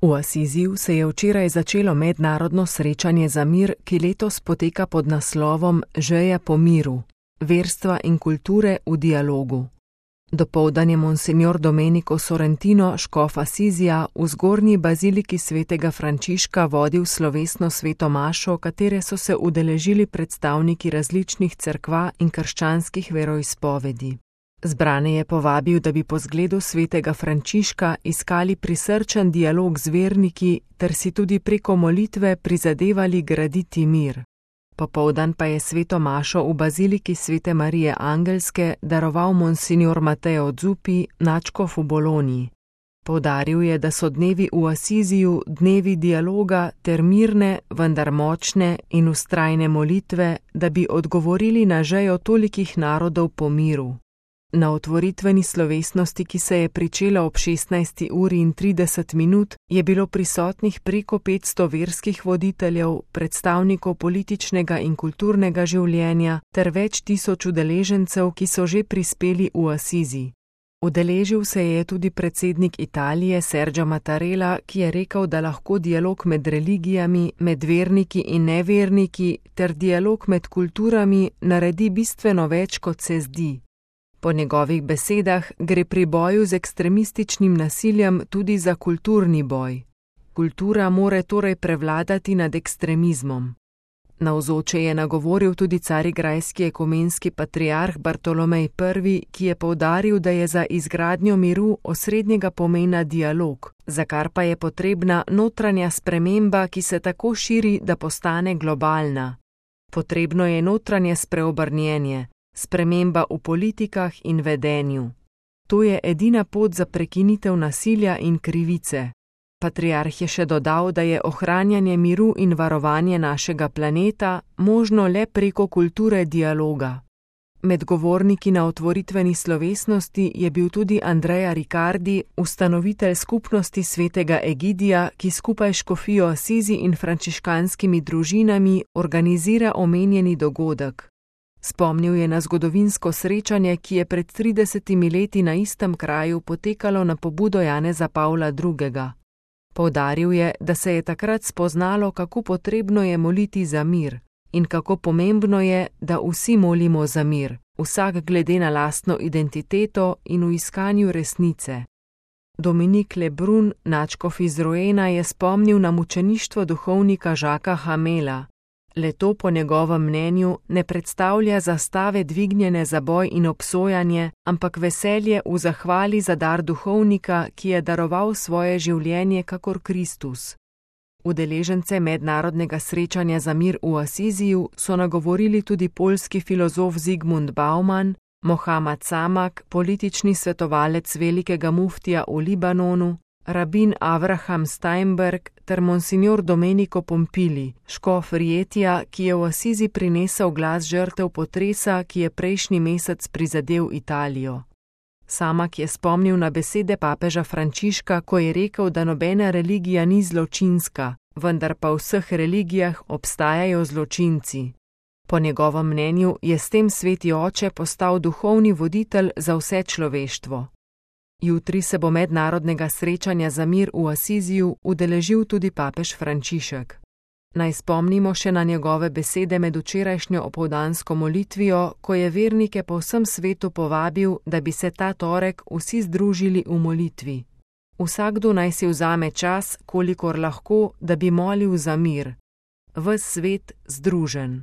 V Asiziju se je včeraj začelo mednarodno srečanje za mir, ki letos poteka pod naslovom Žeja po miru, verstva in kulture v dialogu. Dopoldan je monsignor Domenico Sorrentino, škof Asizija, v zgornji baziliki svetega Frančiška vodil slovesno sveto mašo, katere so se udeležili predstavniki različnih cerkva in krščanskih veroizpovedi. Zbrane je povabil, da bi po zgledu svetega Frančiška iskali prisrčen dialog z verniki ter si tudi preko molitve prizadevali graditi mir. Popoldan pa je sveto mašo v baziliki svete Marije Angelske daroval monsignor Matteo Zuppi, nadškof v Bologni. Poudaril je, da so dnevi v Asiziju dnevi dialoga ter mirne, vendar močne in vztrajne molitve, da bi odgovorili na žejo tolikih narodov po miru. Na otvoritveni slovesnosti, ki se je pričela ob 16:30, je bilo prisotnih preko 500 verskih voditeljev, predstavnikov političnega in kulturnega življenja ter več tisoč udeležencev, ki so že prispeli v Asizi. Udeležil se je tudi predsednik Italije Sergio Mattarella, ki je rekel, da lahko dialog med religijami, med verniki in neverniki ter dialog med kulturami naredi bistveno več, kot se zdi. Po njegovih besedah gre pri boju z ekstremističnim nasiljem tudi za kulturni boj. Kultura more torej prevladati nad ekstremizmom. Navzoče je nagovoril tudi carigrajski ekumenski patriarh Bartolomej I., ki je poudaril, da je za izgradnjo miru osrednjega pomena dialog, za kar pa je potrebna notranja sprememba, ki se tako širi, da postane globalna. Potrebno je notranje spreobrnjenje, sprememba v politikah in vedenju. To je edina pot za prekinitev nasilja in krivice. Patriarh je še dodal, da je ohranjanje miru in varovanje našega planeta možno le preko kulture dialoga. Med govorniki na otvoritveni slovesnosti je bil tudi Andrea Riccardi, ustanovitelj skupnosti svetega Egidija, ki skupaj s škofijo Asizi in frančiškanskimi družinami organizira omenjeni dogodek. Spomnil je na zgodovinsko srečanje, ki je pred 30 leti na istem kraju potekalo na pobudo Janeza Pavla II. Poudaril je, da se je takrat spoznalo, kako potrebno je moliti za mir in kako pomembno je, da vsi molimo za mir, vsak glede na lastno identiteto in v iskanju resnice. Dominik Lebrun, nadškof iz Roena, je spomnil na mučeništvo duhovnika Žaka Hamela. Le to po njegovem mnenju ne predstavlja zastave dvignjene za boj in obsojanje, ampak veselje v zahvali za dar duhovnika, ki je daroval svoje življenje kakor Kristus. Udeležence mednarodnega srečanja za mir v Asiziju so nagovorili tudi poljski filozof Zygmunt Bauman, Mohammad Samak, politični svetovalec velikega muftija v Libanonu, rabin Avraham Steinberg ter monsignor Domenico Pompili, škof Rietija, ki je v Asizi prinesel glas žrtev potresa, ki je prejšnji mesec prizadel Italijo. Samak je spomnil na besede papeža Frančiška, ko je rekel, da nobena religija ni zločinska, vendar pa v vseh religijah obstajajo zločinci. Po njegovem mnenju je s tem sveti oče postal duhovni voditelj za vse človeštvo. Jutri se bo mednarodnega srečanja za mir v Asiziju udeležil tudi papež Frančišek. Naj spomnimo še na njegove besede med včerajšnjo opoldansko molitvijo, ko je vernike po vsem svetu povabil, da bi se ta torek vsi združili v molitvi. Vsakdo naj si vzame čas, kolikor lahko, da bi molil za mir. Ves svet združen.